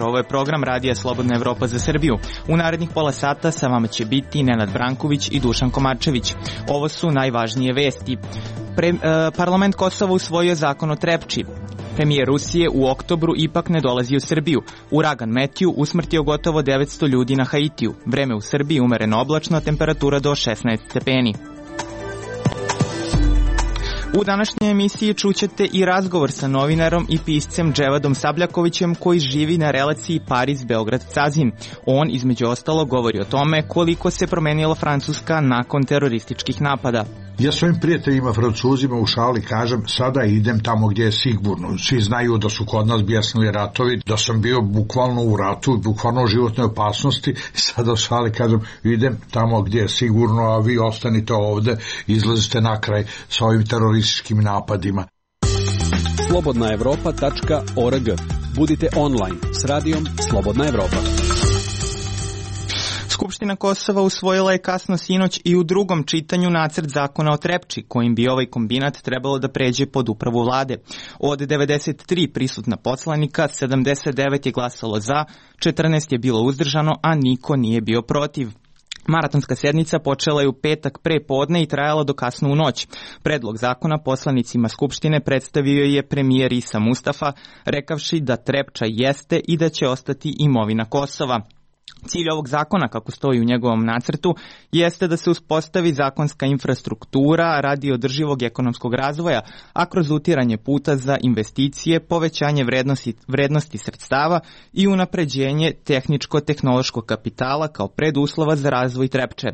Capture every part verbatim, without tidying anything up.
Ovo je program Radija Slobodna Evropa za Srbiju. U narednih pola sata sa vama će biti Nenad Branković i Dušan Komarčević. Ovo su najvažnije vesti. Pre, e, parlament Kosova usvojio zakon o Trepči. Premijer Rusije u oktobru ipak ne dolazi u Srbiju. Uragan Metju usmrtio gotovo devetsto ljudi na Haitiju. Vreme u Srbiji umereno oblačno, temperatura do šesnaest stepeni. U današnjoj emisiji čućete i razgovor sa novinarom i piscem Dževadom Sabljakovićem koji živi na relaciji Pariz-Beograd-Cazin. On, između ostalo, govori o tome koliko se promenila Francuska nakon terorističkih napada. Ja svojim prijateljima Francuzima u šali kažem, sada idem tamo gdje je sigurno. Svi znaju da su kod nas bjesnili ratovi, da sam bio bukvalno u ratu, bukvalno u životnoj opasnosti. Sada u šali kažem, idem tamo gdje je sigurno, a vi ostanite ovde, izlazite na kraj sa ovim terorističkim napadima. slobodna evropa tačka org. Budite online s radijom Slobodna Evropa. Skupština Kosova usvojila je kasno sinoć i u drugom čitanju nacrt zakona o Trepči, kojim bi ovaj kombinat trebalo da pređe pod upravu vlade. Od devedeset tri prisutna poslanika, sedamdeset devet je glasalo za, četrnaest je bilo uzdržano, a niko nije bio protiv. Maratonska sednica počela je u petak pre podne i trajala do kasno u noć. Predlog zakona poslanicima Skupštine predstavio je premijer Isa Mustafa, rekavši da Trepča jeste i da će ostati imovina Kosova. Cilj ovog zakona, kako stoji u njegovom nacrtu, jeste da se uspostavi zakonska infrastruktura radi održivog ekonomskog razvoja, a kroz utiranje puta za investicije, povećanje vrednosti, vrednosti sredstava i unapređenje tehničko-tehnološkog kapitala kao preduslova za razvoj Trepče.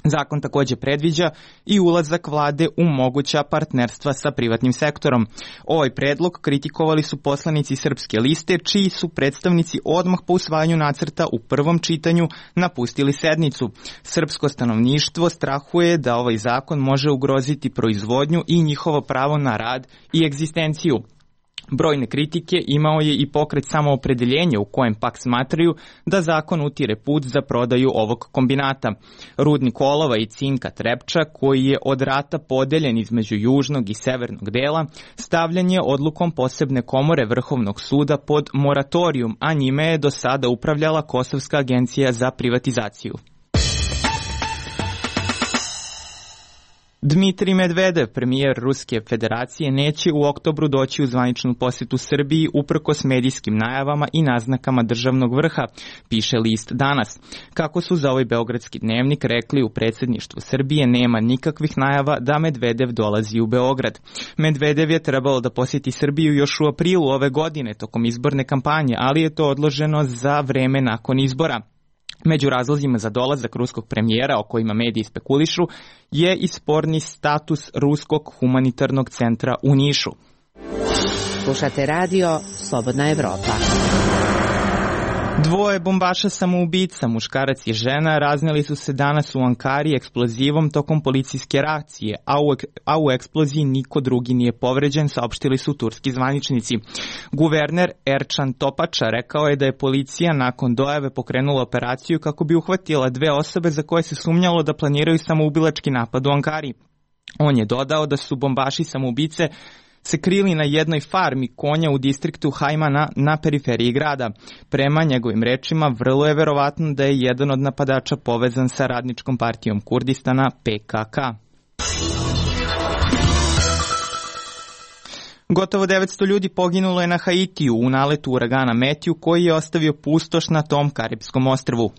Zakon takođe predviđa i ulazak vlade u moguća partnerstva sa privatnim sektorom. Ovaj predlog kritikovali su poslanici Srpske liste, čiji su predstavnici odmah po usvajanju nacrta u prvom čitanju napustili sednicu. Srpsko stanovništvo strahuje da ovaj zakon može ugroziti proizvodnju i njihovo pravo na rad i egzistenciju. Brojne kritike imao je i pokret Samoopredeljenja u kojem pak smatraju da zakon utire put za prodaju ovog kombinata. Rudnik olova i cinka Trepča, koji je od rata podeljen između južnog i severnog dela, stavljan je odlukom posebne komore Vrhovnog suda pod moratorijum, a njime je do sada upravljala Kosovska agencija za privatizaciju. Dmitrij Medvedev, premijer Ruske federacije, neće u oktobru doći u zvaničnu posjetu Srbiji uprkos medijskim najavama i naznakama državnog vrha, piše list Danas. Kako su za ovaj beogradski dnevnik rekli u predsjedništvu Srbije, nema nikakvih najava da Medvedev dolazi u Beograd. Medvedev je trebalo da posjeti Srbiju još u aprilu ove godine tokom izborne kampanje, ali je to odloženo za vreme nakon izbora. Među razlozima za dolazak ruskog premijera, o kojima mediji spekulišu, je i sporni status Ruskog humanitarnog centra u Nišu. Slušate radio Slobodna Evropa. Dvoje bombaša samoubica, muškarac i žena, razneli su se danas u Ankari eksplozivom tokom policijske reakcije, a u, a u eksploziji niko drugi nije povređen, saopštili su turski zvaničnici. Guverner Erčan Topača rekao je da je policija nakon dojave pokrenula operaciju kako bi uhvatila dve osobe za koje se sumnjalo da planiraju samoubilački napad u Ankari. On je dodao da su bombaši samoubice se krili na jednoj farmi konja u distriktu Hajmana na periferiji grada. Prema njegovim rečima, vrlo je verovatno da je jedan od napadača povezan sa Radničkom partijom Kurdistana P K K. Gotovo devetsto ljudi poginulo je na Haitiju u naletu uragana Metju koji je ostavio pustoš na tom Karipskom ostrvu.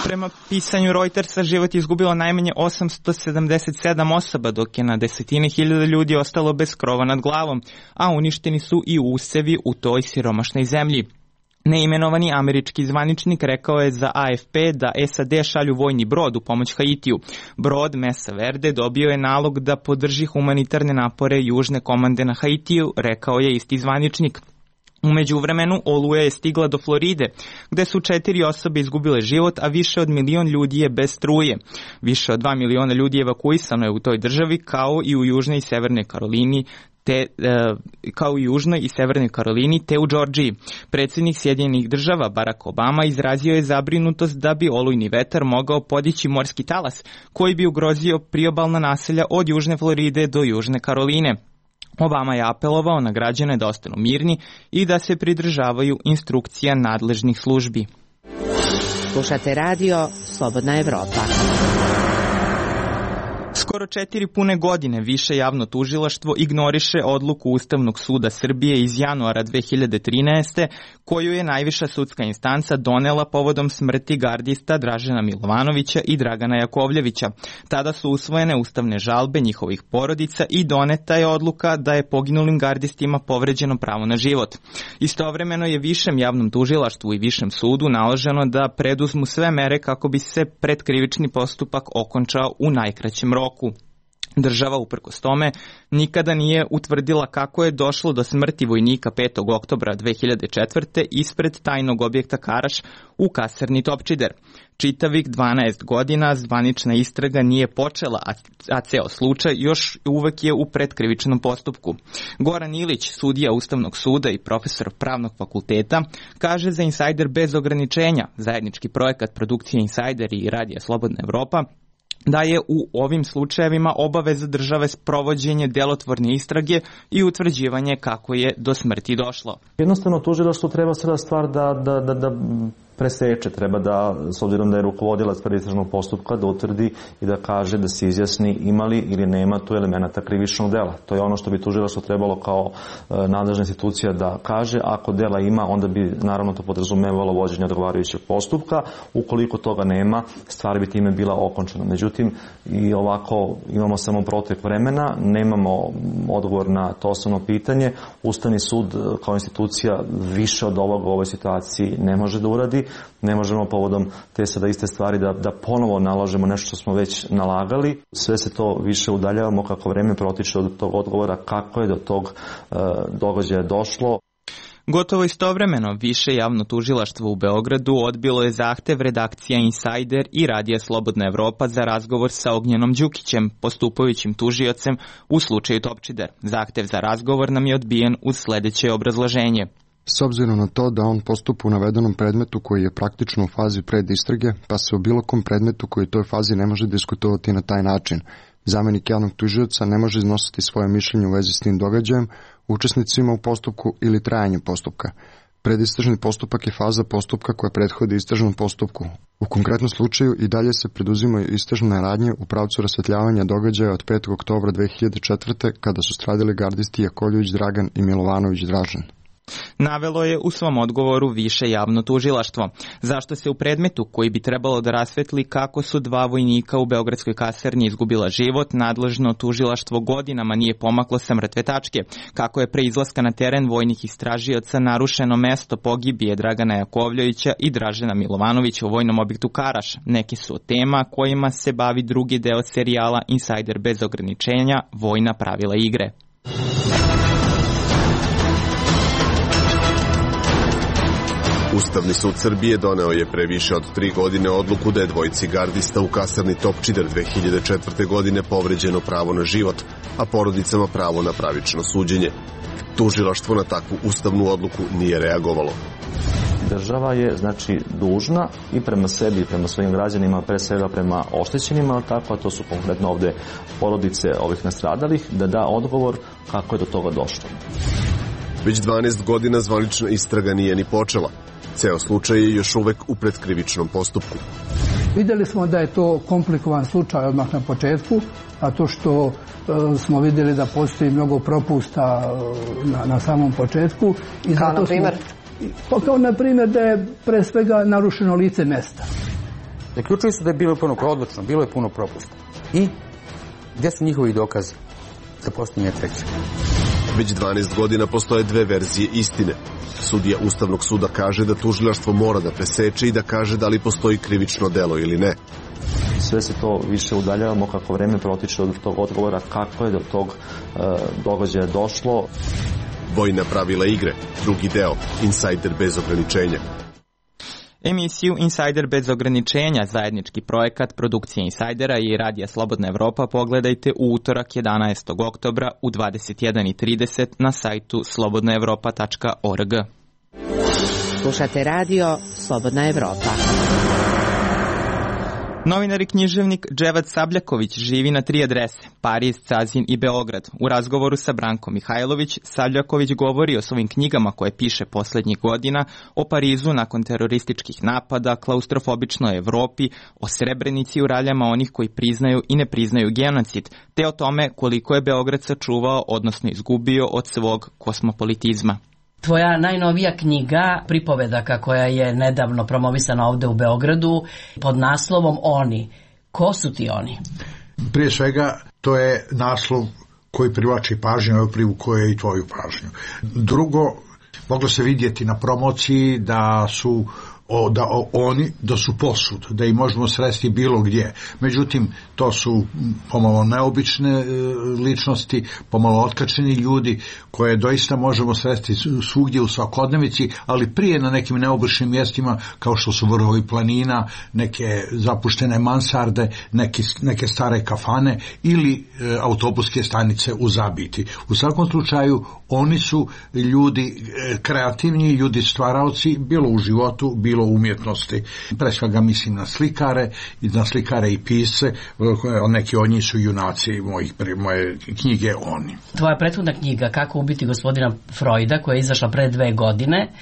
Prema pisanju Reutersa, život je izgubilo najmanje osamsto sedamdeset sedam osoba, dok je na desetine hiljada ljudi ostalo bez krova nad glavom, a uništeni su i usevi u toj siromašnoj zemlji. Neimenovani američki zvaničnik rekao je za A F P da S A D šalju vojni brod u pomoć Haitiju. Brod Mesa Verde dobio je nalog da podrži humanitarne napore južne komande na Haitiju, rekao je isti zvaničnik. U međuvremenu oluja je stigla do Floride, gde su četiri osobe izgubile život, a više od milion ljudi je bez struje. Više od dva miliona ljudi evakuisano je u toj državi, kao i u Južnoj i Severnoj Karolini, te, e, kao i Južnoj i Severnoj Karolini, te u Džordžiji. Predsjednik Sjedinjenih država Barack Obama izrazio je zabrinutost da bi olujni vetar mogao podići morski talas, koji bi ugrozio priobalna naselja od Južne Floride do Južne Karoline. Obama je apelovao na građane da ostanu mirni i da se pridržavaju instrukcija nadležnih službi. Slušate radio Slobodna Evropa. Skoro četiri pune godine više javno tužilaštvo ignoriše odluku Ustavnog suda Srbije iz januara dve hiljade trinaeste. koju je najviša sudska instanca donela povodom smrti gardista Dražena Milovanovića i Dragana Jakovljevića. Tada su usvojene ustavne žalbe njihovih porodica i doneta je odluka da je poginulim gardistima povređeno pravo na život. Istovremeno je višem javnom tužilaštvu i višem sudu naloženo da preduzmu sve mere kako bi se predkrivični postupak okončao u najkraćem roku. Država, uprkos tome, nikada nije utvrdila kako je došlo do smrti vojnika petog oktobra dve hiljade četvrte. ispred tajnog objekta Karaš u kasarni Topčider. Čitavih dvanaest godina zvanična istraga nije počela, a ceo slučaj još uvek je u predkrivičnom postupku. Goran Ilić, sudija Ustavnog suda i profesor Pravnog fakulteta, kaže za Insajder bez ograničenja, zajednički projekat produkcije Insajder i Radija Slobodna Evropa, da je u ovim slučajevima obaveza države sprovođenje delotvorne istrage i utvrđivanje kako je do smrti došlo. Jednostavno tužilaštvo treba sada stvar da, da, da, da preseče, treba da, s obzirom da je rukovodilac predistražnog postupka, da utvrdi i da kaže, da se izjasni imali ili nema tu elemenata krivičnog dela. To je ono što bi tužilaštvo trebalo kao e, nadležna institucija da kaže. Ako dela ima, onda bi naravno to podrazumevalo vođenje odgovarajućeg postupka. Ukoliko toga nema, stvar bi time bila okončena. Međutim, i ovako imamo samo protek vremena, nemamo odgovor na to osnovno pitanje. Ustavni sud kao institucija više od ovoga u ovoj situaciji ne može da uradi. Ne možemo povodom te sada iste stvari da, da ponovo nalažemo nešto što smo već nalagali. Sve se to više udaljavamo kako vreme protiče od tog odgovora kako je do tog e, događaja došlo. Gotovo istovremeno, više javno tužilaštvo u Beogradu odbilo je zahtev redakcija Insajder i Radija Slobodna Evropa za razgovor sa Ognjenom Đukićem, postupajućim tužiocem u slučaju Topčider. Zahtev za razgovor nam je odbijen uz sledeće obrazloženje. S obzirom na to da on postupa u navedenom predmetu koji je praktično u fazi predistrage, pa se o bilo kom predmetu koji u toj fazi ne može diskutovati na taj način. Zamenik javnog tužioca ne može iznositi svoje mišljenje u vezi s tim događajem, učesnicima u postupku ili trajanju postupka. Predistražni postupak je faza postupka koja prethodi istražnom postupku. U konkretnom slučaju i dalje se preduzimaju istražne radnje u pravcu rasvetljavanja događaja od petog oktobra dve hiljade četvrte. kada su stradali gardisti Jakovljević Dragan i Milovanović Dražen. Navelo je u svom odgovoru više javno tužilaštvo. Zašto se u predmetu koji bi trebalo da rasvetli kako su dva vojnika u beogradskoj kasarni izgubila život, nadležno tužilaštvo godinama nije pomaklo sa mrtve tačke, kako je pre izlaska na teren vojnih istražioca narušeno mesto pogibije Dragana Jakovljevića i Dražena Milovanovića u vojnom objektu Karaš. Neki su od tema kojima se bavi drugi deo serijala Insajder bez ograničenja, vojna pravila igre. Ustavni sud Srbije doneo je pre više od tri godine odluku da je dvojici gardista u kasarni Topčider dve hiljade četvrte. godine povređeno pravo na život, a porodicama pravo na pravično suđenje. Tužilaštvo na takvu ustavnu odluku nije reagovalo. Država je, znači, dužna i prema sebi i prema svojim građanima, pre svega prema oštećenima, ali tako, a to su konkretno ovde porodice ovih nastradalih, da da odgovor kako je do toga došlo. Već dvanaest godina zvanična istraga nije ni počela. Ceo slučaj je još uvek u predkrivičnom postupku. Vidjeli smo da je to komplikovan slučaj odmah na početku, a to što e, smo vidjeli da postoji mnogo propusta na, na samom početku. I kao na primjer? Smo, kao na primjer da je pre svega narušeno lice mesta. Zaključili su da je bilo puno odlučno, bilo je puno propusta. I gdje su njihovi dokazi za postavljanje treće? Već dvanaest godina postoje dve verzije istine. Sudija Ustavnog suda kaže da tužilaštvo mora da preseče i da kaže da li postoji krivično delo ili ne. Sve se to više udaljavamo kako vreme protiče od tog odgovora kako je do tog e, događaja došlo. Vojna pravila igre, drugi deo, Insider bez ograničenja. Emisiju Insider bez ograničenja, zajednički projekat produkcije Insidera i Radija Slobodna Evropa, pogledajte u utorak jedanaestog oktobra u dvadeset jedan i trideset na sajtu slobodna evropa tačka org. Slušate radio Slobodna Evropa. Novinar i književnik Dževad Sabljaković živi na tri adrese, Pariz, Cazin i Beograd. U razgovoru sa Brankom Mihajlović, Sabljaković govori o svojim knjigama koje piše poslednjih godina, o Parizu nakon terorističkih napada, klaustrofobičnoj Evropi, o Srebrenici u raljama onih koji priznaju i ne priznaju genocid, te o tome koliko je Beograd sačuvao, odnosno izgubio od svog kosmopolitizma. Tvoja najnovija knjiga, pripovedaka koja je nedavno promovisana ovde u Beogradu, pod naslovom Oni. Ko su ti oni? Prije svega, to je naslov koji privlači pažnju, evo privukuje je i tvoju pažnju. Drugo, moglo se vidjeti na promociji da su O, da o, oni, da su posud, da ih možemo sresti bilo gdje. Međutim, to su pomalo neobične e, ličnosti, pomalo otkačeni ljudi koje doista možemo sresti svugdje u svakodnevici, ali prije na nekim neobičnim mjestima kao što su vrhovi planina, neke zapuštene mansarde, neke, neke stare kafane ili e, autobuske stanice u Zabiti. U svakom slučaju, oni su ljudi e, kreativni, ljudi stvaraoci, bilo u životu, bilo u umjetnosti. Pre svega mislim na slikare, na slikare i pisce, neki od njih su junaci mojih, moje knjige Oni. Tvoja prethodna knjiga Kako ubiti gospodina Freuda, koja je izašla pre dve godine,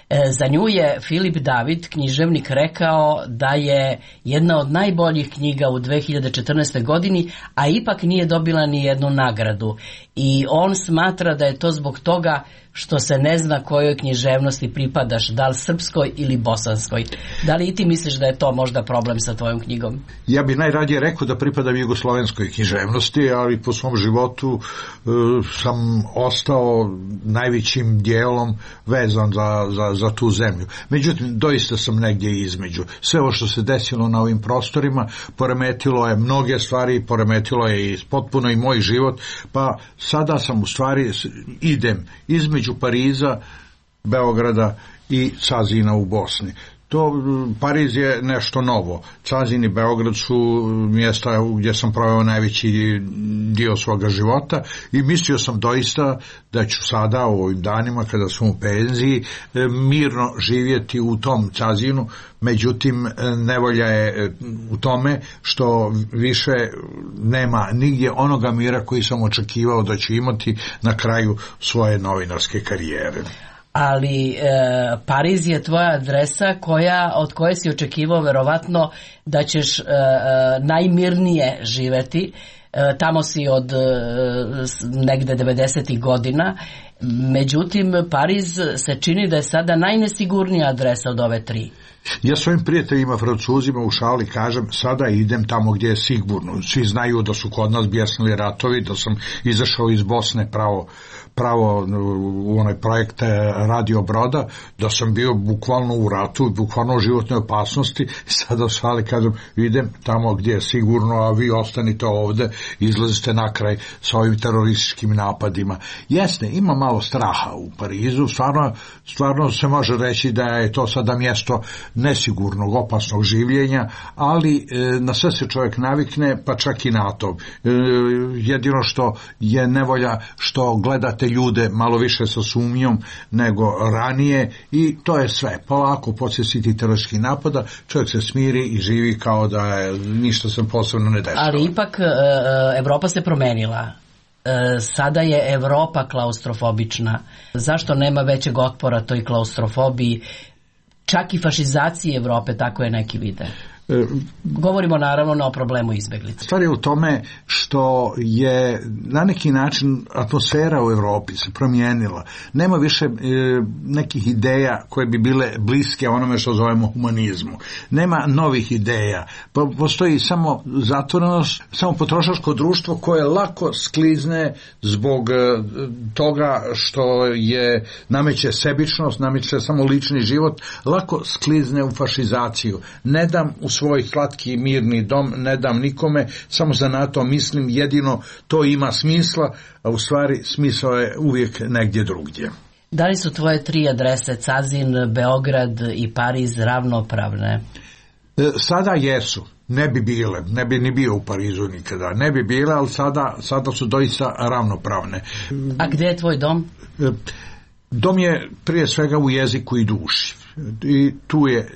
za nju je Filip David, književnik, rekao da je jedna od najboljih knjiga u dve hiljade četrnaestoj godini, a ipak nije dobila ni jednu nagradu. I on smatra da je to zbog toga što se ne zna kojoj književnosti pripadaš, da li srpskoj ili bosanskoj. Da li i ti misliš da je to možda problem sa tvojom knjigom? Ja bi najradije rekao da pripadam jugoslovenskoj književnosti, ali po svom životu e, sam ostao najvećim dijelom vezan za, za, za tu zemlju. Međutim, doista sam negdje između. Sve ovo što se desilo na ovim prostorima poremetilo je mnoge stvari, poremetilo je i potpuno i moj život, pa sada sam u stvari idem između Pariza, Beograda i Cazina u Bosni. To, Pariz je nešto novo. Cazin i Beograd su mjesta gdje sam proveo najveći dio svoga života i mislio sam doista da ću sada u ovim danima kada sam u penziji mirno živjeti u tom Cazinu. Međutim, nevolja je u tome što više nema nigdje onoga mira koji sam očekivao da ću imati na kraju svoje novinarske karijere. Ali e, Pariz je tvoja adresa koja, od koje si očekivao verovatno da ćeš e, najmirnije živeti. E, tamo si od e, negde devedesetih godina. Međutim, Pariz se čini da je sada najnesigurnija adresa od ove tri. Ja svojim prijateljima Francuzima u šali kažem, sada idem tamo gdje je sigurno. Svi znaju da su kod nas bjesnili ratovi, da sam izašao iz Bosne pravo, pravo u onaj projekt Radio Broda, da sam bio bukvalno u ratu, bukvalno u životnoj opasnosti. Sada u šali kažem, idem tamo gdje je sigurno, a vi ostanite ovdje, izlazite na kraj sa ovim terorističkim napadima. Jasne, ima malo straha u Parizu, stvarno, stvarno se može reći da je to sada mjesto nesigurnog, opasnog življenja, ali e, na sve se čovjek navikne, pa čak i na to. E, jedino što je nevolja što gledate ljude malo više sa sumnjom nego ranije i to je sve. Polako poslije tih terorističkih napada čovjek se smiri i živi kao da je, ništa se posebno ne dešava. Ali ipak e, Evropa se promenila. E, sada je Evropa klaustrofobična. Zašto nema većeg otpora toj klaustrofobiji? Čak i fašizaciji Evrope, tako je neki vide. Govorimo naravno o problemu izbjeglica. Stvar je u tome što je na neki način atmosfera u Europi se promijenila. Nema više e, nekih ideja koje bi bile bliske onome što zovemo humanizmu. Nema novih ideja. Postoji samo zatvorenost, samo potrošačko društvo koje lako sklizne zbog e, toga što je nameće sebičnost, nameće samo lični život, lako sklizne u fašizaciju. Ne dam u svoj slatki mirni dom ne dam nikome, samo za NATO mislim jedino to ima smisla, a u stvari smisao je uvijek negdje drugdje. Da li su tvoje tri adrese, Cazin, Beograd i Pariz, ravnopravne? Sada jesu. Ne bi bile, ne bi ni bio u Parizu nikada, ne bi bile, ali sada, sada su doista ravnopravne. A gdje je tvoj dom? Dom je prije svega u jeziku i duši. I tu je,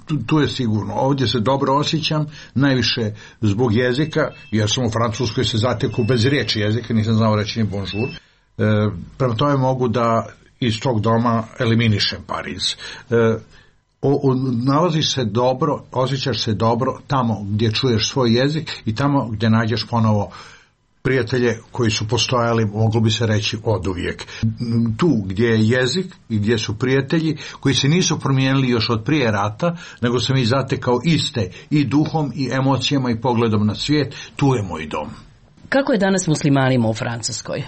tu, tu je sigurno. Ovdje se dobro osjećam, najviše zbog jezika, jer sam u Francuskoj se zateku bez riječi jezika, nisam znao reći ni bonjour. E, prema tome mogu da iz tog doma eliminišem Pariz. E, O, o, nalaziš se dobro, osjećaš se dobro tamo gdje čuješ svoj jezik i tamo gdje nađeš ponovo prijatelje koji su postojali, moglo bi se reći, oduvijek. Tu gdje je jezik i gdje su prijatelji koji se nisu promijenili još od prije rata, nego sam ih zatekao iste i duhom i emocijama i pogledom na svijet, tu je moj dom. Kako je danas muslimanima u Francuskoj?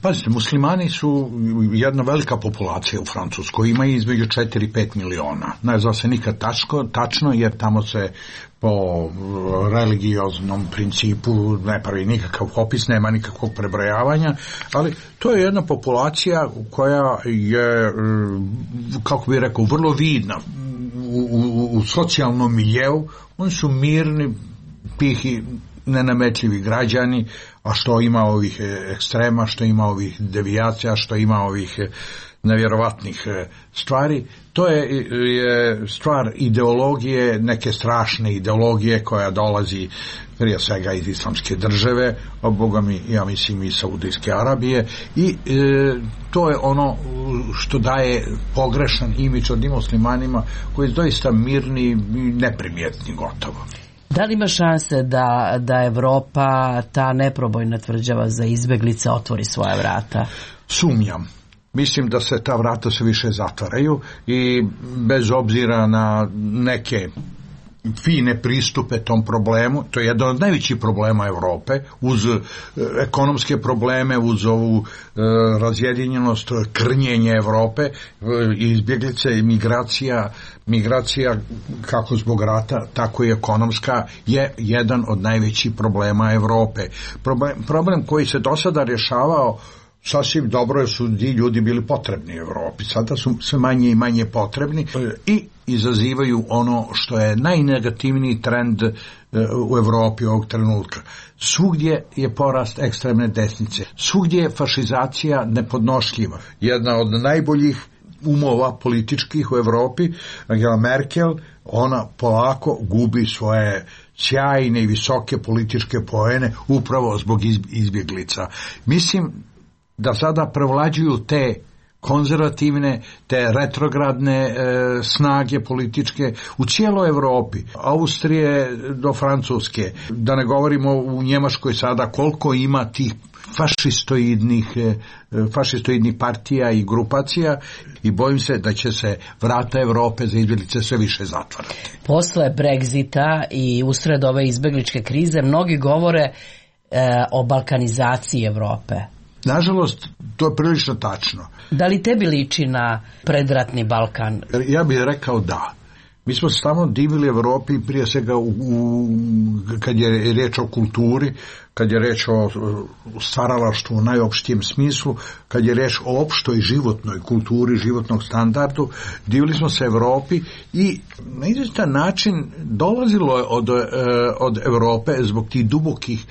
Pazite, muslimani su jedna velika populacija u Francuskoj, ima između četiri i pet miliona. Ne zna se nikad tačko, tačno, jer tamo se po religioznom principu ne pravi nikakav popis, nema nikakvog prebrojavanja, ali to je jedna populacija koja je, kako bih rekao, vrlo vidna u, u, u socijalnom miljeu. Oni su mirni, tihi, nenametljivi građani, a što ima ovih ekstrema, što ima ovih devijacija, što ima ovih nevjerovatnih stvari, to je, je stvar ideologije, neke strašne ideologije koja dolazi prije svega iz islamske države, a boga mi, ja mislim i Saudijske Arabije, i e, to je ono što daje pogrešan imidž od muslimanima koji su doista mirni i neprimjetni gotovo. Da li ima šanse da, da Evropa, ta neprobojna tvrđava za izbeglice, otvori svoja vrata? Sumnjam. Mislim da se ta vrata sve više zatvaraju i bez obzira na neke fine pristupe tom problemu, to je jedan od najvećih problema Europe, uz e, ekonomske probleme, uz ovu e, razjedinjenost, krnjenje Europe, e, izbjeglice i migracija, migracija kako zbog rata, tako i ekonomska, je jedan od najvećih problema Europe. Problem, problem koji se do sada rješavao sasvim dobro jer su ti ljudi bili potrebni u Europi. Sada su sve manje i manje potrebni i izazivaju ono što je najnegativniji trend u Europi ovog trenutka. Svugdje je porast ekstremne desnice. Svugdje je fašizacija nepodnošljiva. Jedna od najboljih umova političkih u Europi, Angela Merkel, ona polako gubi svoje sjajne i visoke političke poene upravo zbog izbjeglica. Mislim da sada prevlađuju te konzervativne, te retrogradne e, snage političke u cijeloj Europi, Austrije do Francuske, da ne govorimo u Njemačkoj sada koliko ima tih fašistoidnih, e, fašistoidnih partija i grupacija i bojim se da će se vrata Europe za izbjeglice sve više zatvarati. Posle Brexita i usred ove izbjegličke krize mnogi govore e, o balkanizaciji Europe. Nažalost, to je prilično tačno. Da li tebi liči na predratni Balkan? Ja bih rekao da. Mi smo se tamo divili Evropi prije svega u, u, kad je riječ o kulturi, kad je riječ o stvaralaštvu u najopštijem smislu, kad je riječ o opštoj životnoj kulturi, životnog standardu, divili smo se Evropi i na izvjestan način dolazilo je od, od Europe zbog tih dubokih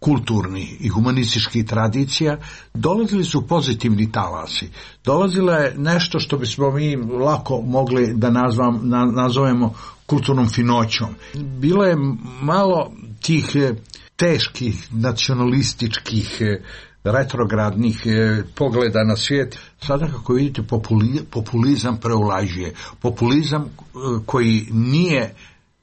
kulturnih i humanističkih tradicija, dolazili su pozitivni talasi. Dolazilo je nešto što bismo mi lako mogli da nazvam, na, nazovemo kulturnom finoćom. Bilo je malo tih teških nacionalističkih retrogradnih pogleda na svijet. Sada kako vidite populizam preulažuje. Populizam koji nije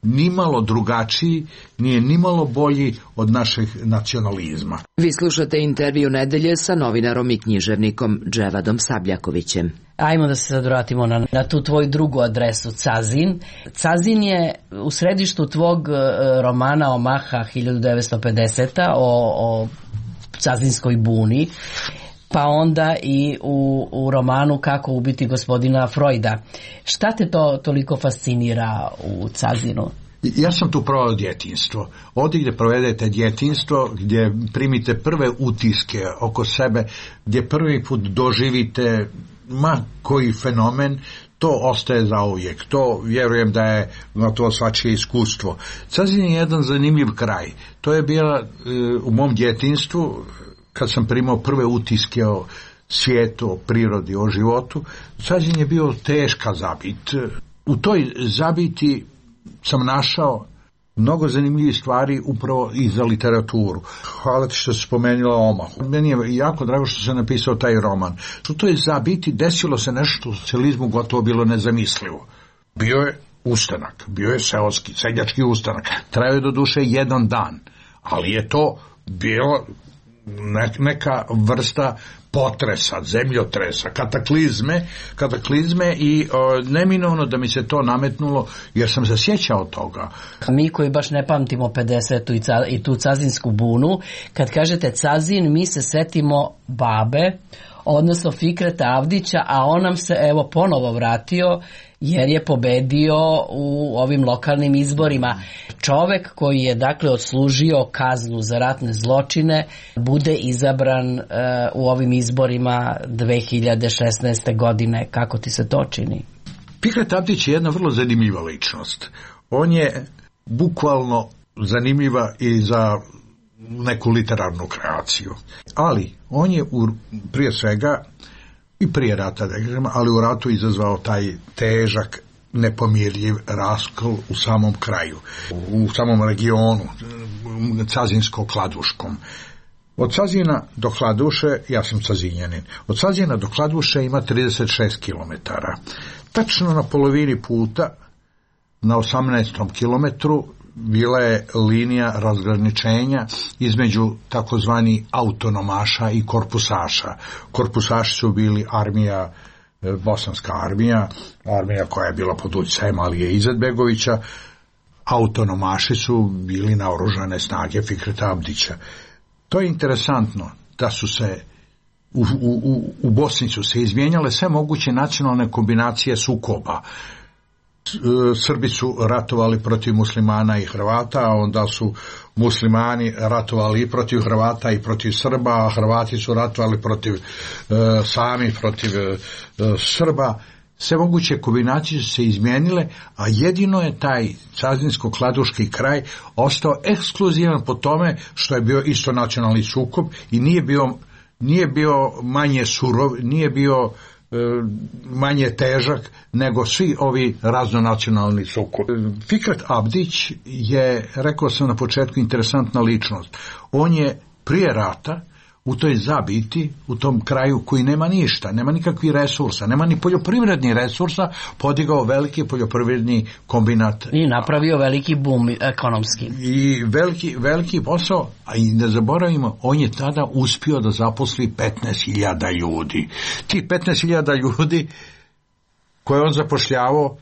nimalo drugačiji, nije nimalo bolji od našeg nacionalizma. Vi slušate intervju nedelje sa novinarom i književnikom Dževadom Sabljakovićem. Ajmo da se sad vratimo na, na tu tvoju drugu adresu, Cazin. Cazin je u središtu tvog romana Omaha hiljadu devetsto pedeseta o, o Cazinskoj buni, pa onda i u, u romanu Kako ubiti gospodina Freuda. Šta te to toliko fascinira u Cazinu? Ja sam tu provao djetinjstvo. Ovdje gdje provedete djetinjstvo, gdje primite prve utiske oko sebe, gdje prvi put doživite ma koji fenomen, to ostaje zauvijek. To vjerujem da je gotovo svačije iskustvo. Cazin je jedan zanimljiv kraj. To je bila u mom djetinjstvu, kad sam primao prve utiske o svijetu, o prirodi, o životu. Cazin je bio teška zabit. U toj zabiti sam našao mnogo zanimljivih stvari upravo i za literaturu. Hvala ti što si spomenula Omahu. Meni je jako drago što sam napisao taj roman. U toj zabiti desilo se nešto u socijalizmu gotovo bilo nezamislivo. Bio je ustanak, bio je seoski, seljački ustanak. Trajao je do duše jedan dan, ali je to bilo neka vrsta potresa, zemljotresa, kataklizme, kataklizme i o, neminovno da mi se to nametnulo jer sam se sjećao toga. Mi koji baš ne pamtimo pedesetu i, ca, i tu cazinsku bunu, kad kažete Cazin, mi se setimo babe, odnosno Fikreta Avdića, a on nam se evo ponovo vratio jer je pobedio u ovim lokalnim izborima. Čovek koji je dakle odslužio kaznu za ratne zločine bude izabran uh, u ovim izborima dve hiljade šesnaeste. godine. Kako ti se to čini? Fikret Avdić je jedna vrlo zanimljiva ličnost. On je bukvalno zanimljiva i za neku literarnu kreaciju. Ali on je u, prije svega i prije rata, ali u ratu izazvao taj težak, nepomirljiv raskol u samom kraju, u samom regionu, Cazinsko-Kladuškom. Od Cazina do Kladuše, ja sam Cazinjanin, od Cazina do Kladuše ima trideset šest kilometara. Tačno na polovini puta, na osamnaestom kilometru, bila je linija razgraničenja između takozvani autonomaša i korpusaša. Korpusaši su bili armija, bosanska armija, armija koja je bila pod utjecajem Alije Izetbegovića. Autonomaši su bili naoružane snage Fikreta Abdića. To je interesantno da su se u, u, u Bosni su se izmijenjale sve moguće nacionalne kombinacije sukoba. Srbi su ratovali protiv muslimana i Hrvata, a onda su muslimani ratovali i protiv Hrvata i protiv Srba, a Hrvati su ratovali protiv e, sami protiv e, Srba. Sve moguće kombinacije su se izmijenile, a jedino je taj Cazinsko-Kladuški kraj ostao ekskluzivan po tome što je bio isto nacionalni sukob i nije bio, nije bio manje surov, nije bio manje težak nego svi ovi raznonacionalni sukobi. Fikret Abdić je, rekao sam na početku, interesantna ličnost. On je prije rata u toj zabiti, u tom kraju koji nema ništa, nema nikakvih resursa, nema ni poljoprivrednih resursa, podigao veliki poljoprivredni kombinat. I napravio veliki boom ekonomski. I veliki, veliki posao, a i ne zaboravimo, on je tada uspio da zaposli petnaest hiljada ljudi. Ti petnaest hiljada ljudi koje on zapošljavao,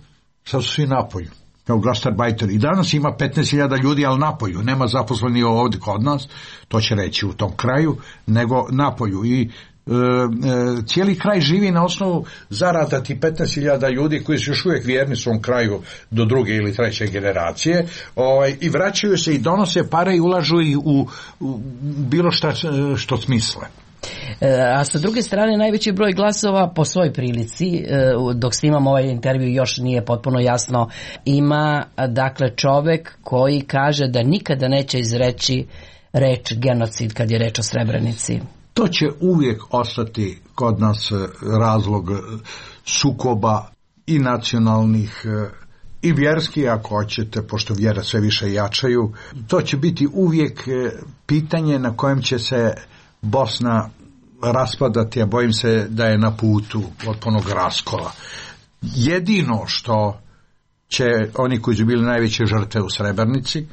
sad su svi napolju. Kao gastarbajter. I danas ima petnaest hiljada ljudi, ali napolju. Nema zaposleni ovdje kod nas, to će reći u tom kraju, nego napolju. I e, e, cijeli kraj živi na osnovu zarada ti petnaest hiljada ljudi koji su još uvijek vjerni svom kraju do druge ili treće generacije, ovaj, i vraćaju se i donose pare i ulažu ih u, u bilo šta što smisle. A sa druge strane, najveći broj glasova po svoj prilici, dok snimam ovaj intervju još nije potpuno jasno, ima dakle čovek koji kaže da nikada neće izreći reč genocid kad je reč o Srebrenici. To će uvijek ostati kod nas razlog sukoba i nacionalnih i vjerski, ako hoćete, pošto vjera sve više jačaju. To će biti uvijek pitanje na kojem će se Bosna raspadati, a bojim se da je na putu potpunog raskola. Jedino što će oni koji su bili najveće žrtve u Srebrenici,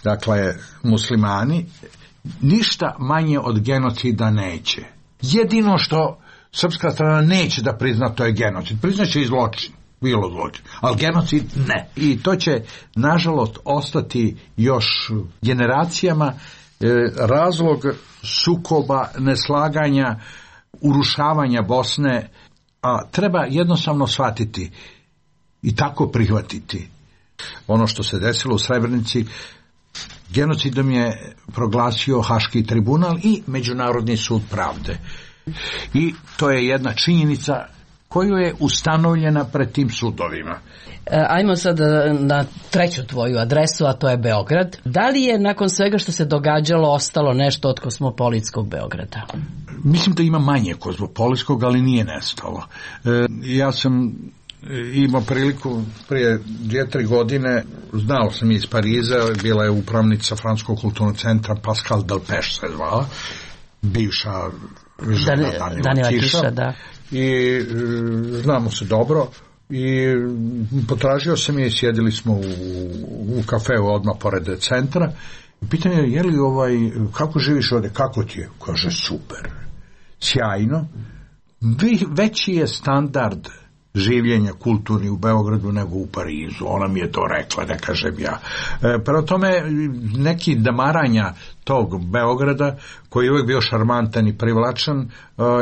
dakle muslimani, ništa manje od genocida neće. Jedino što srpska strana neće da prizna, to je genocid. Priznaće i zločin, bilo zločin, ali genocid ne. I to će nažalost ostati još generacijama razlog sukoba, neslaganja, urušavanja Bosne, a treba jednostavno shvatiti i tako prihvatiti Ono što se desilo u Srebrenici, genocidom je proglasio Haški tribunal i Međunarodni sud pravde. I to je jedna činjenica koju je ustanovljena pred tim sudovima. Ajmo sad na treću tvoju adresu, a to je Beograd. Da li je nakon svega što se događalo ostalo nešto od kozmopolitskog Beograda? Mislim da ima manje kozmopolitskog, ali nije nestalo. E, ja sam imao priliku prije dvije, tri godine, znao sam iz Pariza, bila je upravnica Francuskog kulturnog centra Pascal Delpech se zvala, bivša žena Dan, Danila Kiša, Kiša da. I e, znamo se dobro i potražio sam je i sjedili smo u, u kafeu odmah pored centra. Pitanje je, je li ovaj, kako živiš ovdje, kako ti je? Kaže, super, sjajno. Veći je standard življenja kulturni u Beogradu nego u Parizu. Ona mi je to rekla, ne kažem ja. E, prema tome, neki damaranja tog Beograda, koji je uvijek bio šarmantan i privlačan, e,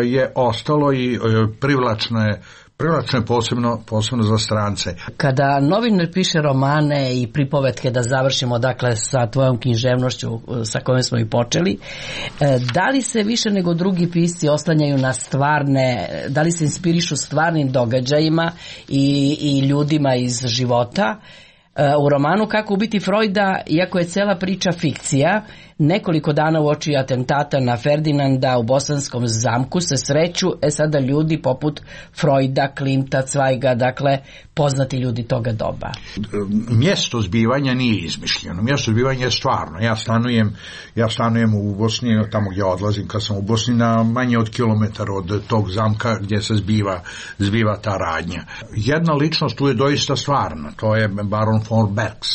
je ostalo i e, privlačno je Privlačno je posebno, posebno za strance. Kada novinar piše romane i pripovetke, da završimo dakle sa tvojom književnošću sa kojom smo i počeli, da li se više nego drugi pisci oslanjaju na stvarne, da li se inspirišu stvarnim događajima i, i ljudima iz života? U romanu Kako ubiti Freuda, iako je cela priča fikcija, nekoliko dana uoči atentata na Ferdinanda u Bosanskom zamku se sreću, e sada ljudi poput Freuda, Klimta, Cvajga, dakle poznati ljudi toga doba. Mjesto zbivanja nije izmišljeno, mjesto zbivanja je stvarno. Ja stanujem, ja stanujem u Bosni, tamo gdje odlazim kad sam u Bosni, na manje od kilometar od tog zamka gdje se zbiva, zbiva ta radnja. Jedna ličnost tu je doista stvarna, to je baron von Bergs,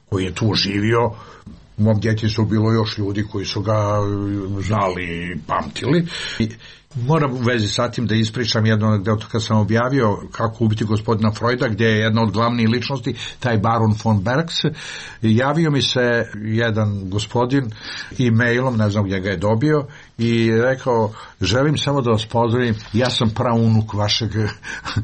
koji je tu živio. U mom djetinjstvu bilo još ljudi koji su ga znali i pamtili. I moram u vezi sa tim da ispričam jednu anegdotu kad sam objavio Kako ubiti gospodina Freuda, gdje je jedna od glavnih ličnosti, taj baron von Bergs. Javio mi se jedan gospodin e-mailom, ne znam gdje ga je dobio, i rekao, želim samo da vas pozdravim, ja sam praunuk vašeg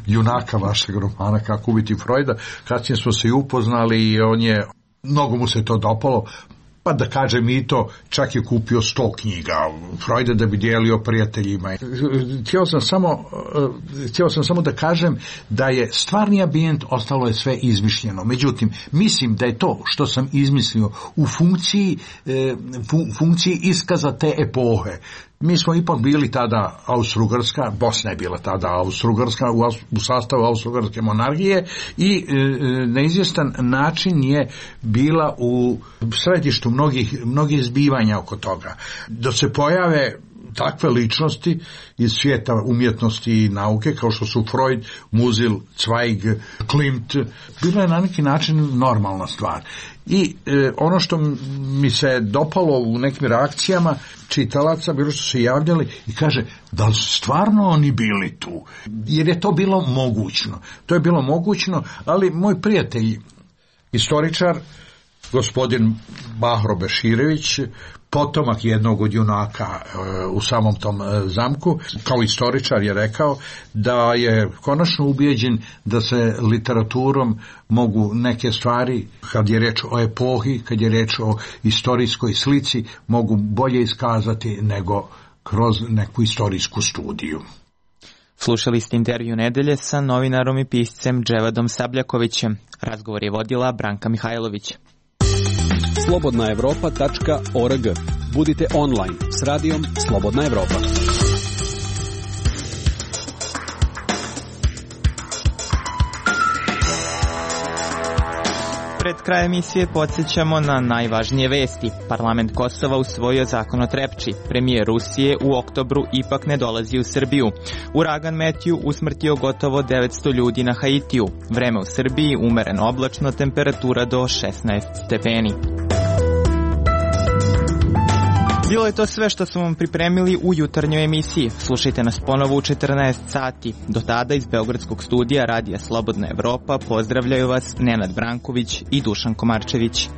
junaka, vašeg romana Kako ubiti Freuda. Kasnije smo se i upoznali i on je, mnogo mu se to dopalo, pa da kažem i to, čak je kupio sto knjiga Freuda da bi dijelio prijateljima. Htio sam samo, htio sam samo da kažem da je stvarni ambijent, ostalo je sve izmišljeno. Međutim, mislim da je to što sam izmislio u funkciji, funkciji iskaza te epohe. Mi smo ipak bili tada Austro-Ugarska, Bosna je bila tada Austro-Ugarska u, u sastavu Austro-Ugarske monarhije i e, na izvjestan način je bila u središtu mnogih, mnogih zbivanja oko toga. Da se pojave takve ličnosti iz svijeta umjetnosti i nauke kao što su Freud, Musil, Zweig, Klimt, bilo je na neki način normalna stvar. I e, ono što mi se dopalo u nekim reakcijama čitalaca, bilo što se javljali i kaže, da li su stvarno oni bili tu? Jer je to bilo mogućno. To je bilo mogućno, ali moj prijatelj, istoričar, gospodin Bahro Beširević, potomak jednog od junaka e, u samom tom e, zamku, kao istoričar je rekao da je konačno ubijeđen da se literaturom mogu neke stvari, kad je reč o epohi, kad je reč o istorijskoj slici, mogu bolje iskazati nego kroz neku istorijsku studiju. Slušali ste intervju nedelje sa novinarom i piscem Dževadom Sabljakovićem. Razgovor je vodila Branka Mihajlović. slobodna evropa tačka org. Budite online s radijom Slobodna Evropa. Pred kraj emisije podsjećamo na najvažnije vesti. Parlament Kosova usvojio zakon o Trepči. Premijer Rusije u oktobru ipak ne dolazi u Srbiju. Uragan Metju usmrtio gotovo devetsto ljudi na Haitiju. Vreme u Srbiji umereno oblačno, temperatura do šesnaest stepeni. Bilo je to sve što smo vam pripremili u jutarnjoj emisiji. Slušajte nas ponovo u četrnaest sati. Do tada iz Beogradskog studija Radija Slobodna Evropa pozdravljaju vas Nenad Branković i Dušan Komarčević.